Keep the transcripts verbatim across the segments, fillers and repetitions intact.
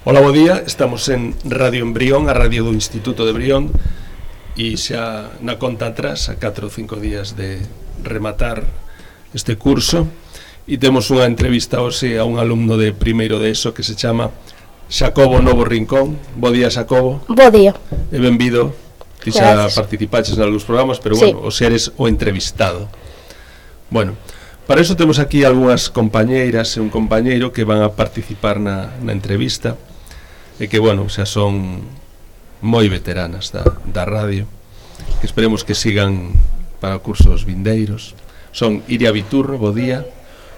Ola, bo día, estamos en Radio Embrión, a radio do Instituto de Brión, e xa na conta atrás, a catro ou cinco días de rematar este curso, e temos unha entrevista hoxe a un alumno de primeiro de ESO que se chama Xacobo Novo Rincón. Bo día, Xacobo. Bo día. E benvido. Ti xa participaches en algúns programas, pero bueno, sí, o seres o entrevistado. Bueno, para iso temos aquí algunhas compañeiras e un compañeiro que van a participar na, na entrevista, e que, bueno, xa son moi veteranas da, da radio, que esperemos que sigan para cursos vindeiros. Son Iria Viturro, bo día.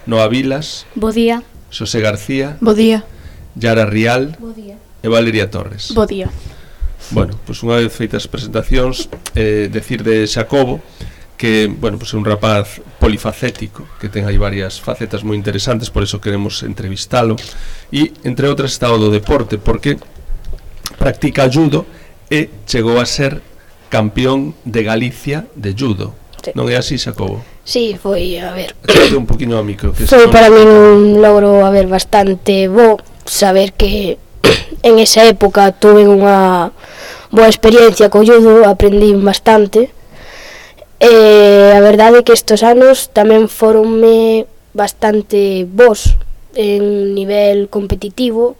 Noa Vilas, bo día. Xosé García, bo día. Yara Rial, bo día. E Valeria Torres. Bo día. Bueno, pois unha vez feitas as presentacións, eh, decir de Xacobo que, bueno, pois é un rapaz polifacético, que ten aí varias facetas moi interesantes, por eso queremos entrevistalo, e entre outras está o do deporte, porque practica judo e chegou a ser campeón de Galicia de judo. Sí. Non é así, Xacobo? Sí, foi, a ver, Chate un poquinho ao micro, que foi para mí un logro, a ver, bastante bo saber que en esa época tuve unha boa experiencia co judo, aprendí bastante. E a verdade é que estes anos tamén foronme bastante bons en nivel competitivo,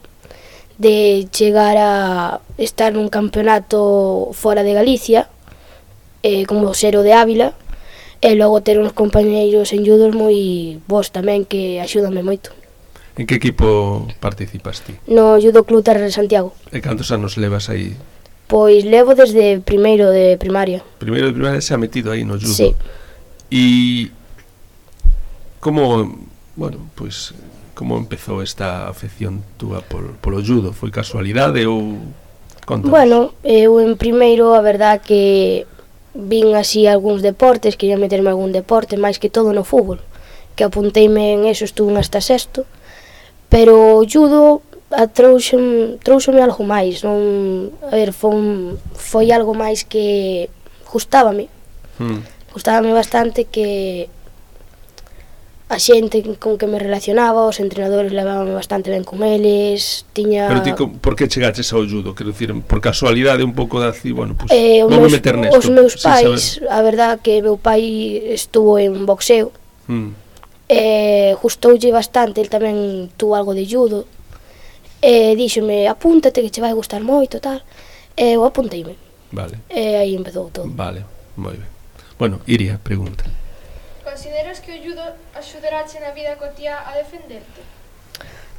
de chegar a estar nun campeonato fora de Galicia, eh, como ser o de Ávila, e logo ter uns compañeiros en judo moi bons tamén, que axúdanme moito. En que equipo participas ti? No Judo Club Terra de Santiago. E cantos anos levas aí? Pois levo desde primeiro de primaria. Primeiro de primaria se ha metido aí no judo. Sí. E como, bueno, pois como empezou esta afección túa por, polo judo? Foi casualidade ou contanos? Bueno, eu en primeiro, a verdad que vin así algúns deportes, quería meterme a algún deporte, máis que todo no fútbol, que apunteime en eso, estuve hasta sexto, pero o judo trouxome, trouxome algo máis, non, a ver, foi, foi algo máis que gustábame, hmm. gustábame bastante, que a xente con que me relacionaba, os entrenadores levábame bastante ben con eles, tiña... Pero ti, por que chegaches ao judo? Quero dicir, por casualidade un pouco de así, bueno, pues, eh, vou me meter nesto. Os meus pais, a verdad que meu pai estuvo en boxeo, hmm. eh, gustoulle bastante, el tamén tuvo algo de judo, e díxome, apúntate que che vai gustar moito, tal, e eu apunteime. Vale. E aí empezou todo. Vale, moi ben. Bueno, Iria, pregunta. Consideras que o judo axudarache na vida cotiá a defenderte?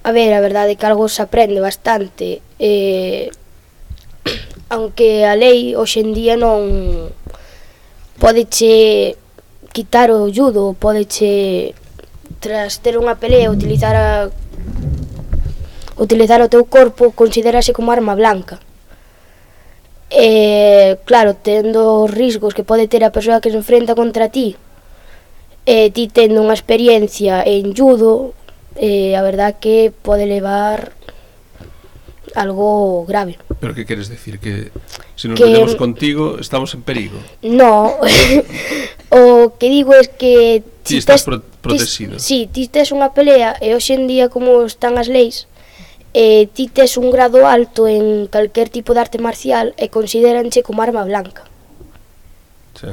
A ver, a verdade é que algo se aprende bastante, eh, aunque a lei hoxe en día non podeche quitar o judo, podeche, tras ter unha pelea, utilizar a utilizar o teu corpo, considerase como arma blanca. E, claro, tendo os riscos que pode ter a persoa que se enfrenta contra ti, e ti tendo unha experiencia en judo, eh, a verdad que pode levar algo grave. Pero que queres decir? Que se nos que, metemos contigo estamos en perigo? No, o que digo é que ti estás pro protegido. Si, ti tes unha pelea, e hoxe en día como están as leis, e ti tes un grado alto en calquer tipo de arte marcial e consideranche como arma blanca. Sí.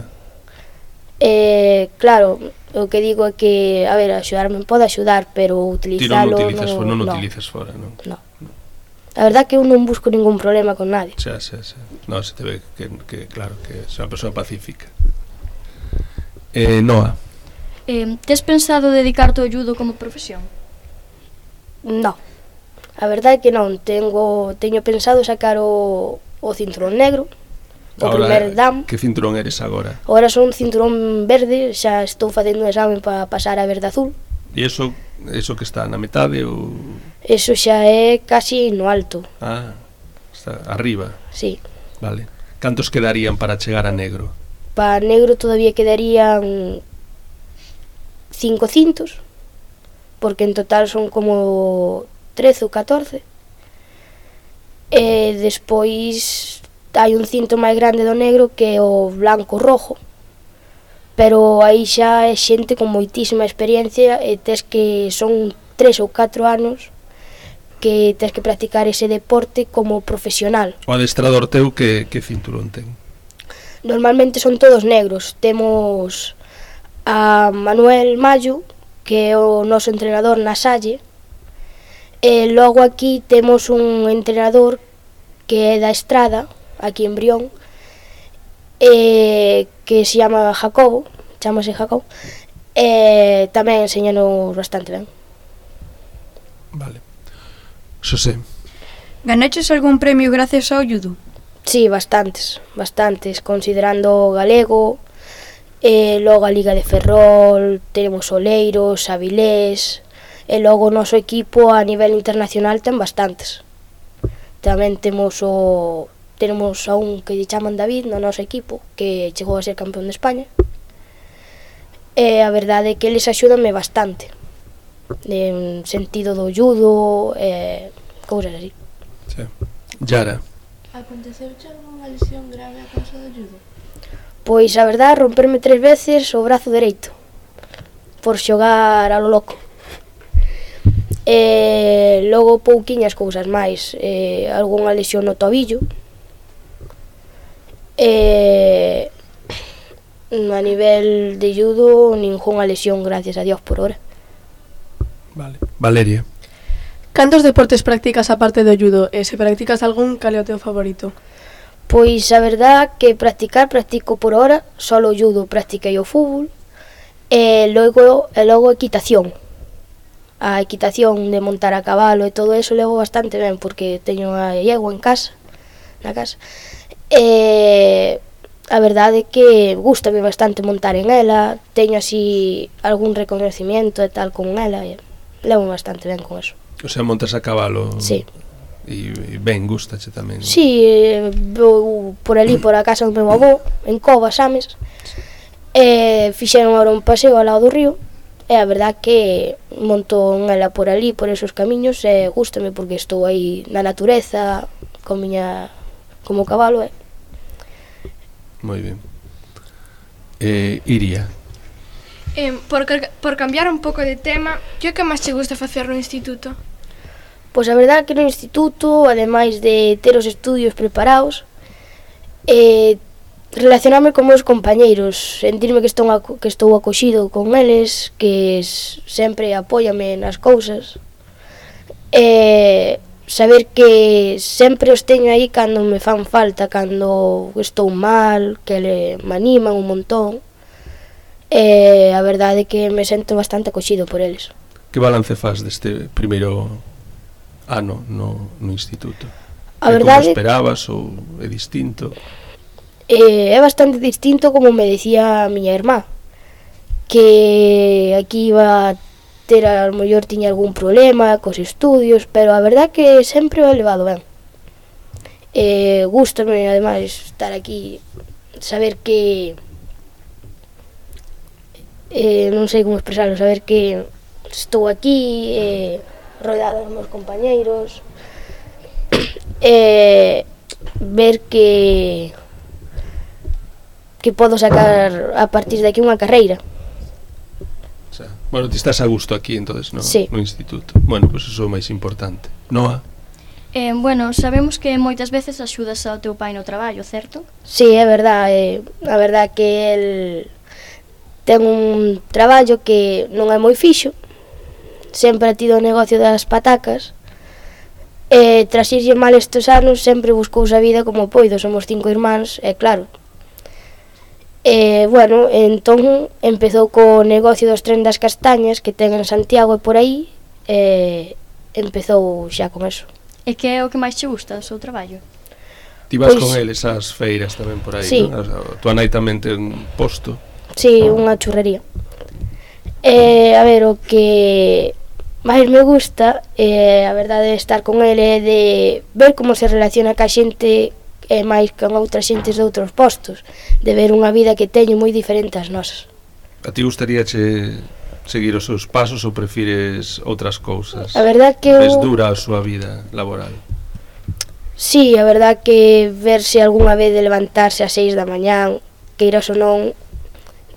Eh, claro, o que digo é que, a ver, axudarme pode axudar, pero utilizalo... Ti non utilizas, no, non no. utilizas fora, non? No. A verdad que eu non busco ningún problema con nadie. Xa, xa, xa. Non, se te ve que, que claro, que é unha persoa pacífica. Eh, Noa. Eh, tes pensado dedicarte ao judo como profesión? No. A verdade é que non, tengo, teño pensado sacar o, o cinturón negro, o ahora, primer dan. Que cinturón eres agora? Agora son cinturón verde, xa estou facendo un examen para pasar a verde azul. E iso, iso que está na metade ou...? Eso xa é casi no alto. Ah, está arriba. Sí. Vale. Cantos quedarían para chegar a negro? Para negro todavía quedarían cinco cintos, porque en total son como trece ou catorce. E despois hai un cinto máis grande do negro que é o blanco rojo, pero aí xa é xente con moitísima experiencia e tes que son tres ou catro anos que tens que practicar ese deporte como profesional. O adestrador teu que, que cinturón ten? Normalmente son todos negros. Temos a Manuel Mayo, que é o noso entrenador na Salle, e logo aquí temos un entrenador que é da Estrada, aquí en Brión, e que se chama Jacobo, chamase Jacobo, e tamén enseñanos bastante ben. Vale. Xosé. Ganaches algún premio gracias ao judo? Sí, bastantes, bastantes, considerando o galego, e logo a Liga de Ferrol, tenemos Oleiros, Avilés, e logo o noso equipo a nivel internacional ten bastantes. Tamén temos o tenemos a un que lle chaman David no noso equipo, que chegou a ser campeón de España. E a verdade é que eles axúdanme bastante, en sentido do judo, e cousas así. Sí. Yara. Aconteceuche algunha lesión grave a causa do judo? Pois a verdade, romperme tres veces o brazo dereito por xogar a lo loco. E logo pouquiñas cousas máis, e algunha lesión no tobillo. E a nivel de judo, ningunha lesión, gracias a Dios, por hora. Vale. Valeria. Cantos deportes practicas aparte do judo? E se practicas algún, cal é o teu favorito? Pois a verdade que practicar, practico por hora, solo o judo, practiquei o fútbol, e logo, e logo equitación. A equitación de montar a cabalo e todo eso levo bastante ben, porque teño a iegua en casa, na casa. E a verdade é que gústame bastante montar en ela, teño así algún reconocimiento e tal con ela, e levo bastante ben con eso. O sea, montas a cabalo. Sí. E, e ben, gustache tamén. Sí, vou por ali, por a casa do meu avó, en Covas, Ames, e fixeron agora un paseo ao lado do río, e a verdad que monto en ela por ali, por esos camiños, e gústame porque estou aí na natureza, con miña, como cabalo, e... Moi ben. Eh, Iria. Eh, por, por cambiar un pouco de tema, que é o que máis te gusta facer no instituto? Pois a verdade que no instituto, ademais de ter os estudios preparados, eh, relacionarme con meus compañeiros, sentirme que estou, que estou acoxido con eles, que sempre apóiame nas cousas, e saber que sempre os teño aí cando me fan falta, cando estou mal, que me animan un montón, e a verdade é que me sento bastante acoxido por eles. Que balance faz deste primeiro ano no, no instituto? A é verdade, como esperabas ou é distinto? Eh, é bastante distinto, como me decía a miña irmá, que aquí iba a ter, a lo mellor tiña algún problema cos estudios, pero a verdade que sempre o he levado ben. Eh, gústame, ademais, estar aquí, saber que eh, non sei como expresarlo, saber que estou aquí, eh, rodeado dos meus compañeiros, e ver que que podo sacar a partir de aquí unha carreira. O sea, bueno, ti estás a gusto aquí, entonces, no, sí. no instituto. Bueno, pois pues eso é o máis importante. Noa? Eh, bueno, sabemos que moitas veces axudas ao teu pai no traballo, certo? Sí, é verdade, eh, a verdade que el ten un traballo que non é moi fixo, sempre ha tido o negocio das patacas, e tras irlle mal estes anos sempre buscouse a vida como poido, somos cinco irmáns, e claro. E, bueno, entón empezou co negocio dos tren das castañas que ten en Santiago e por aí, e empezou xa con eso. E que é o que máis che gusta do seu traballo? Ti vas Pois, con eles ás feiras tamén por aí, sí. non? A tua nai tamén ten posto. Sí, unha churrería. E, a ver, o que máis me gusta, eh, a verdade, de estar con ele, de ver como se relaciona ca xente, e máis con outras xentes de outros postos, de ver unha vida que teño moi diferente ás nosas. A ti gustaríache seguir os seus pasos ou prefires outras cousas? A verdade que Ves eu... dura a súa vida laboral? Sí, a verdade que verse algunha vez de levantarse ás seis da mañán, que iras ou non,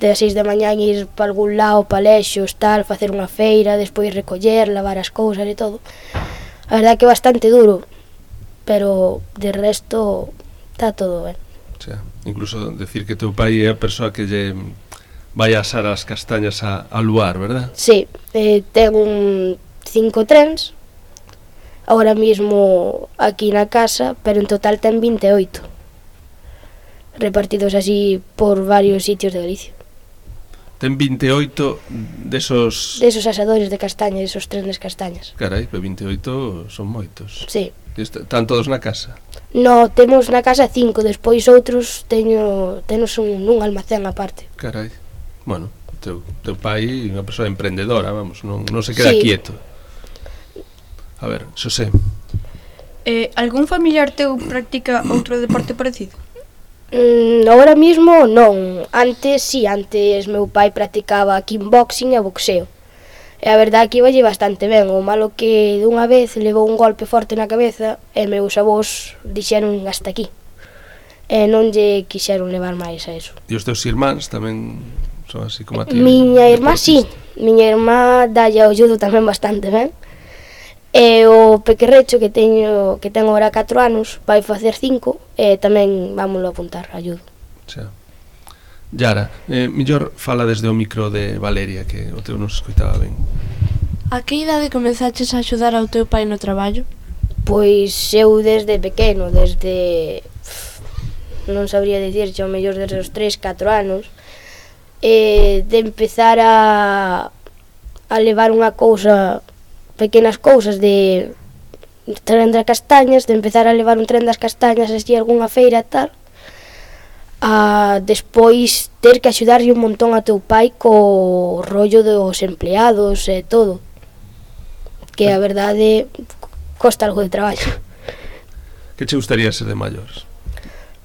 de as seis da mañán ir para algún lado, palexos, tal, facer unha feira, despois recoller, lavar as cousas e todo. A verdad que é bastante duro, pero de resto está todo ben. O sea, incluso decir que teu pai é a persoa que lle vai a asar as castañas a, a luar, verdad? Sí, eh, ten un cinco trens ahora mismo aquí na casa, pero en total ten vinte e oito repartidos así por varios sitios de Galicia. Ten vinte e oito desos... Desos asadores de castañas, esos trenes castañas. Carai, vinte e oito son moitos. Sí. Están todos na casa? No, temos na casa cinco, despois outros teño, tenos un, un almacén aparte. Carai, bueno, teu, teu pai é unha persoa emprendedora, vamos, non, non se queda sí. quieto. A ver, Xosé. Eh, algún familiar teu practica outro deporte parecido? Mm, ahora mismo non, antes sí, antes meu pai practicaba kickboxing e boxeo. E a verdade que iba bastante ben, o malo que dunha vez levou un golpe forte na cabeza e meus avós dixeron hasta aquí. E non lle quixeron levar máis a eso. E os teus irmáns tamén son así como a ti? Miña irmá sí, miña irmá dalle ao judo tamén bastante ben. E o pequerrecho que teño que ten agora catro anos vai facer cinco e tamén vámoslo apuntar a judo. Xa. Yara, eh, mellor fala desde o micro de Valeria, que o teu non se escoitaba ben. A que idade comezaches a axudar ao teu pai no traballo? Pois eu desde pequeno, desde... non sabría dicir, ao mellor desde os tres, catro anos, eh, de empezar a, a levar unha cousa, pequenas cousas de tren das castañas, de empezar a levar un tren das castañas así a algunha feira e tal, a despois ter que axudarlle un montón a teu pai co rollo dos empleados e todo, que a verdade costa algo de traballo. Que che gustaría ser de maiores?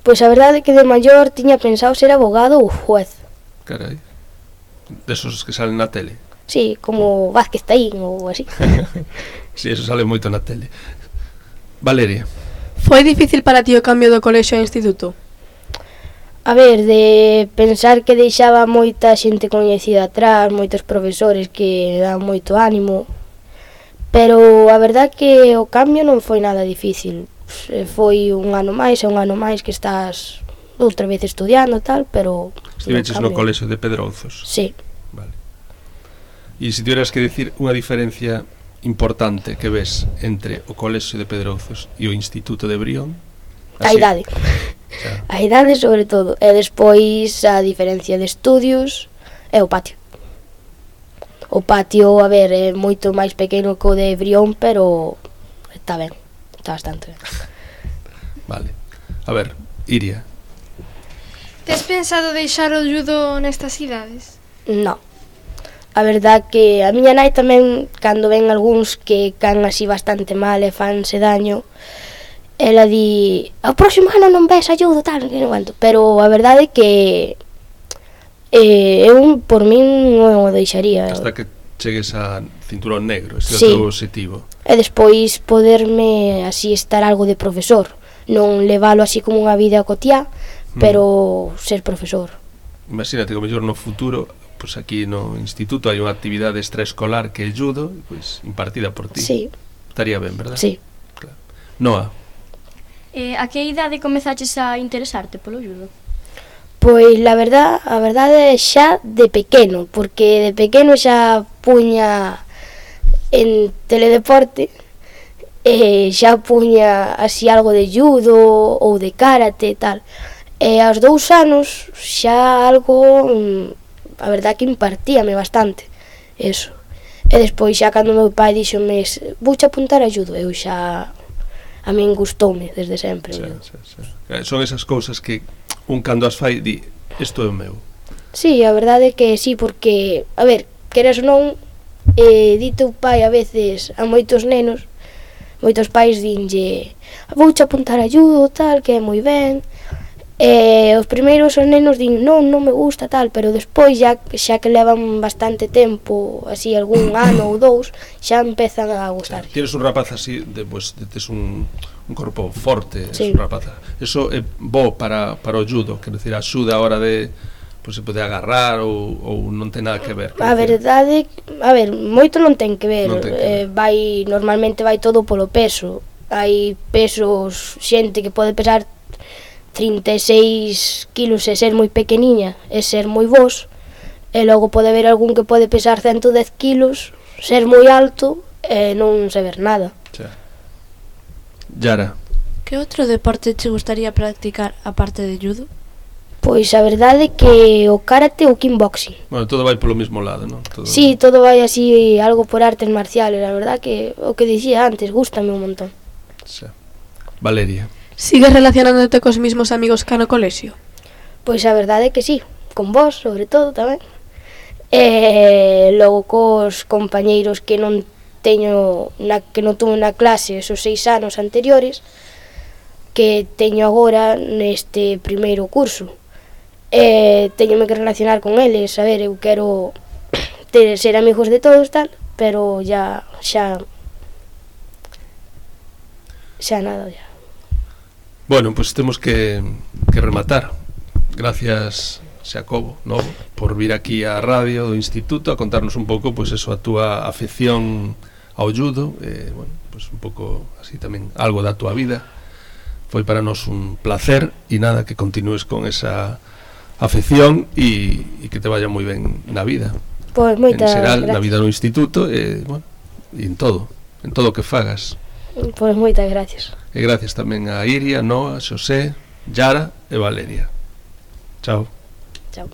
Pois a verdade é que de maior tiña pensado ser abogado ou juez. Carai, desos que salen na tele? Sí, como Vázquez Taín ou así. Sí, eso sale moito na tele. Valeria. Foi difícil para ti o cambio do colexio ao instituto? A ver, de pensar que deixaba moita xente coñecida atrás, moitos profesores que dan moito ánimo, pero a verdad que o cambio non foi nada difícil. Foi un ano máis e un ano máis que estás outra vez estudiando tal, pero... Estiveches no colexio de Pedrouzos? Sí. Vale. E se tivieras que decir unha diferencia importante que ves entre o colexio de Pedrouzos e o Instituto de Brión? A idade. Xa. A idade sobre todo. E despois a diferencia de estudios é o patio. O patio, a ver, é moito máis pequeno que o de Brión, pero está ben. Está bastante ben. Vale. A ver, Iria. Tes pensado deixar o judo nestas idades? No. A verdad que a miña nai tamén, cando ven algúns que can así bastante mal e fanse daño, ela di, ao próximo ano non ves ayudo, tal, que non aguanto. Pero a verdade é que eh, eu, por min, non o deixaría. Hasta que chegues a cinturón negro, ese sí. é o teu objetivo. E despois poderme así estar algo de profesor. Non levalo así como unha vida cotiá, mm. pero ser profesor. Imagínate que mellor no futuro, pues aquí no instituto hai unha actividade extraescolar que é judo, pues, impartida por ti. Sí. Estaría ben, verdad? Sí. Claro. Noa. Eh, a que idade comezaches a interesarte polo judo? Pois la verdad, a verdade é xa de pequeno, porque de pequeno xa puña en teledeporte, e xa puña así algo de judo ou de karate e tal. E aos dous anos xa algo, a verdad que impartíame bastante eso. E despois xa cando meu pai dixome, vouche apuntar a judo, eu xa... A min gustoume desde sempre. Xa, xa, xa. Son esas cousas que un cando as fai di, isto é o meu. Sí, a verdade é que sí, porque, a ver, queres ou non, eh, di teu pai a veces a moitos nenos, moitos pais dinlle, vouche apuntar a judo, tal, que é moi ben. E os primeiros os nenos din, non, non me gusta, tal, pero despois, xa, xa que levan bastante tempo, así, algún ano ou dous, xa empezan a gustar. Tienes un rapaz así, de, pues, de, tes un, un corpo forte, sí. un rapaz. Eso é bo para, para o judo, quero dicir, axuda a hora de, pois se pode agarrar ou, ou non ten nada que ver? A verdade, a ver, moito non ten que ver, Non ten que eh, vai, normalmente vai todo polo peso. Hai pesos, xente que pode pesar trinta e seis kilos e ser moi pequeniña e ser moi vos, e logo pode haber algún que pode pesar ciento dez kilos, ser moi alto e non saber nada. Xa. Yara, Que outro deporte che gustaría practicar aparte de judo? Pois a verdade é que o karate ou o kickboxing. bueno, todo vai polo mesmo lado, non? Todo... Sí, todo vai así, algo por artes marciales, a verdade que o que dicía antes, gústame un montón. Xa. Valeria. Sigues relacionándote cos mismos amigos que no colexio? Pois a verdade é que sí, con vos, sobre todo, tamén. E logo cos compañeiros que non teño na, que non tuve na clase esos seis anos anteriores, que teño agora neste primeiro curso. E teñome que relacionar con eles, a ver, eu quero ter, ser amigos de todos, tal, pero ya, xa, xa nada, ya. Bueno, pois pues temos que, que rematar. Gracias, Xacobo, Novo, por vir aquí á radio do Instituto a contarnos un pouco, pois pues eso, a túa afección ao judo, e, bueno, pois pues un pouco así tamén algo da túa vida. Foi para nós un placer e nada, que continúes con esa afección e, e que te vaya moi ben na vida. Pois moitas en xeral, gracias. na vida no instituto e, bueno, e en todo, en todo o que fagas. Pois moitas gracias. E gracias tamén a Iria, Noa, Xosé, Yara e Valeria. Chao. Chao.